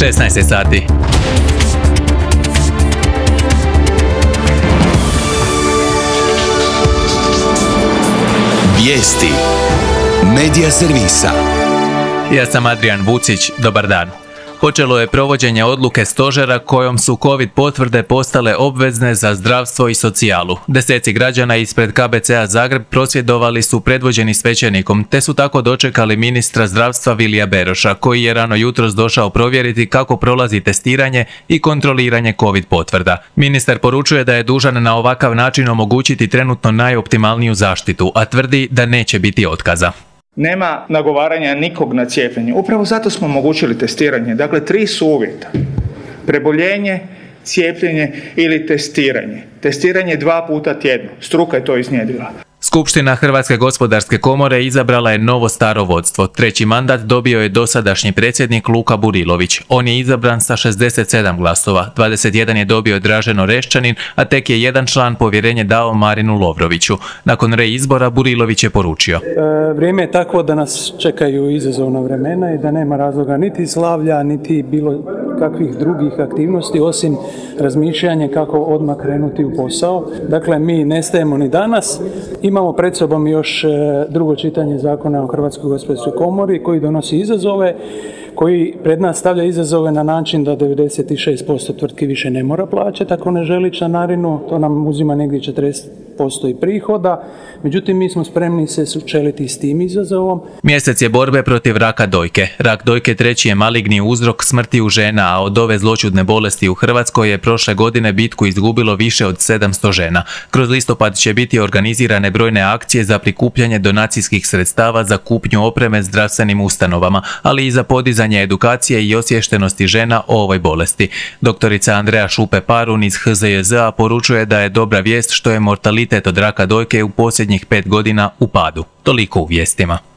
16 sati. Vijesti Medija servisa. Ja sam Adrian Vucić, dobar dan. Počelo je provođenje odluke stožera kojom su COVID potvrde postale obvezne za zdravstvo i socijalu. Deseci građana ispred KBC-a Zagreb prosvjedovali su predvođeni svećenikom, te su tako dočekali ministra zdravstva Vilija Beroša, koji je rano jutros došao provjeriti kako prolazi testiranje i kontroliranje COVID potvrda. Ministar poručuje da je dužan na ovakav način omogućiti trenutno najoptimalniju zaštitu, a tvrdi da neće biti otkaza. Nema nagovaranja nikog na cijepljenje. Upravo zato smo omogućili testiranje. Dakle, 3 su uvjeta. Preboljenje, cijepljenje ili testiranje. Testiranje 2 puta tjedno. Struka je to iznjedrila. Skupština Hrvatske gospodarske komore izabrala je novo staro vodstvo. 3. mandat dobio je dosadašnji predsjednik Luka Burilović. On je izabran sa 67 glasova. 21 je dobio Dražen Oreščanin, a tek je jedan član povjerenje dao Marinu Lovroviću. Nakon reizbora Burilović je poručio: Vrijeme je takvo da nas čekaju izazovna vremena i da nema razloga niti slavlja, niti bilo kakvih drugih aktivnosti osim razmišljanja kako odmah krenuti u posao. Dakle, mi ne stajemo ni danas. Imamo pred sobom još drugo čitanje Zakona o Hrvatskoj gospodarskoj komori koji donosi izazove, koji pred nas stavlja izazove na način da 96% tvrtki više ne mora plaćati ako ne želi članarinu. To nam uzima negdje 40% i prihoda. Međutim, mi smo spremni se sučeliti s tim izazovom. Mjesec je borbe protiv raka dojke. Rak dojke 3. je maligni uzrok smrti u žena, a od ove zloćudne bolesti u Hrvatskoj je prošle godine bitku izgubilo više od 700 žena. Kroz listopad će biti organizirane brojne akcije za prikupljanje donacijskih sredstava za kupnju opreme zdravstvenim ustanovama, ali i za podizanje edukacije i osviještenosti žena o ovoj bolesti. Doktorica Andreja Šupe-Parun iz HZJZ-a poručuje da je dobra vijest što je mortalitet od raka dojke u posljednjih 5 godina u padu. Toliko u vijestima.